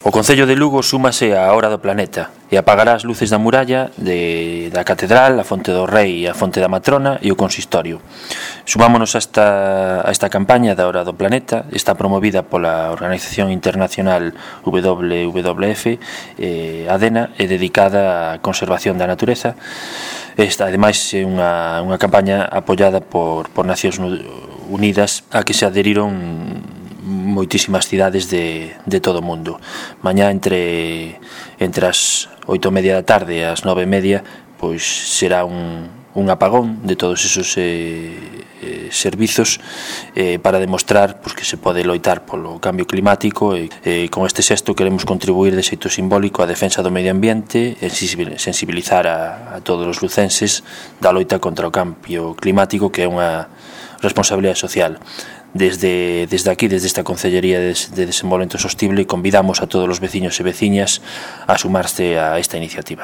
O Concello de Lugo súmase á Hora do Planeta e apagará as luces da muralla da Catedral, a Fonte do Rei, a Fonte da Matrona e o Consistorio. Sumámonos a esta campaña da Hora do Planeta. Está promovida pola Organización Internacional WWF, ADENA, e dedicada á conservación da natureza. Esta, ademais, é unha campaña apoiada por Nacións Unidas a que se adheriron moitísimas cidades de todo o mundo. Mañá entre as 8:30 da tarde e as 9:30 pois será un apagón de todos esos servizos para demostrar pois, que se pode loitar polo cambio climático e con este xesto queremos contribuir de xeito simbólico á defensa do medio ambiente e sensibilizar a todos os lucenses da loita contra o cambio climático, que é unha responsabilidade social. Desde aquí, desde esta Concellería de Desenvolvemento Sostible, convidamos a todos os veciños e veciñas a sumarse a esta iniciativa.